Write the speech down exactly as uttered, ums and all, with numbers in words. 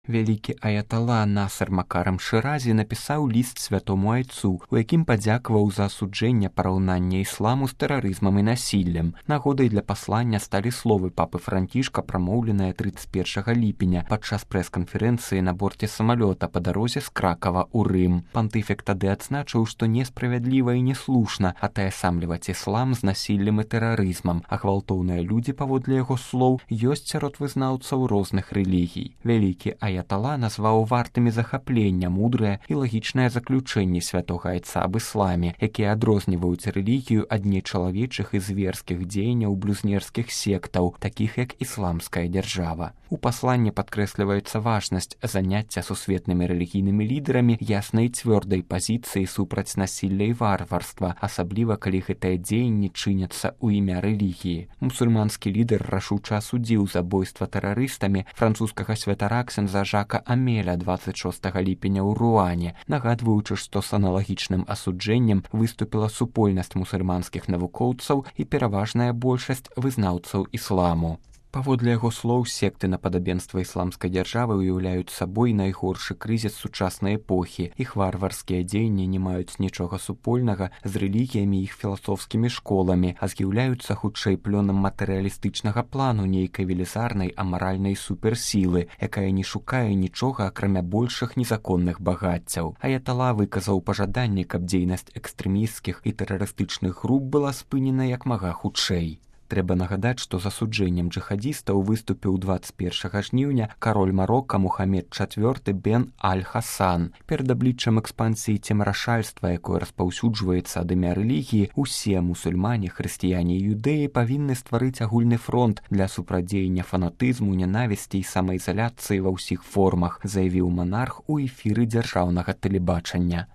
Вялікі аятала Насыр Макарам Шыразі напісаў ліст святому айцу, у якім падзякаваў за асуджэнне параўнання ісламу з тэрарызмам і насіллем. Нагодай для паслання сталі словы папы Францішка, прамоўленыя трыццаць першага ліпеня падчас прэс-канферэнцыі на борце самалёта па дарозе з Кракава ў Рым. Пантыфік тады адзначыў, што несправядліва і неслушна атаясамліваць іслам з насіллем і тэрарызмам, а гвалтоўныя людзі, паводле яго слоў, ёсць сярод вызнаўцаў розных рэлігій. Вялікі аятала назваў вартымі захаплення мудрыя і лагічныя заключэнні святога айца аб ісламе, якія адрозніваюць рэлігію ад нечалавечых і зверскіх дзеянняў блюзнерскіх сектаў, такіх як ісламская дзяржава. У пасланні падкрэсліваецца важнасць заняцця сусветнымі рэлігійнымі лідарамі яснай і цвёрдай пазіцыі супраць насілля і варварства, асабліва калі гэтыя дзеянні чыняцца ў імя рэлігіі. Мусульманскі лідар рашуча асудзіў забойства тэрарыстамі французскага святара ксяндза Жака Амеля дваццаць шостага ліпеня ў Руане, нагадваючы, што з аналагічным асуджэннем выступіла супольнасць мусульманскіх навукоўцаў і пераважная большасць вызнаўцаў ісламу. Паводле яго слоў, секты на падабенства ісламскай дзяржавы ўяўляюць сабой найгоршы крызіс сучаснай эпохі. Іх варварскія дзеянні не маюць нічога супольнага з рэлігіямі і іх філасофскімі школамі, а з'яўляюцца хутчэй плёнам матэрыялістычнага плану нейкай велізарнай амаральнай суперсілы, якая не шукае нічога, акрамя большых незаконных багаццяў. Аятала выказаў пажаданне, каб дзейнасць экстрэмісцкіх і тэрарыстычных груп была спынена як мага хутчэй. Трэба нагадаць, што з асуджэннем джыхадзістаў выступіў дваццаць першага жніўня кароль Марока Мухамед чацвёрты бен Аль-Хасан. Перад абліччам экспансіі цемрашальства, якое распаўсюджваецца ад імя рэлігіі, усе мусульмане, хрысціяне і юдэі павінны стварыць агульны фронт для супрадзеяння фанатызму, нянавісці і самаізаляцыі ва ўсіх формах, заявіў манарх у эфіры дзяржаўнага тэлебачання.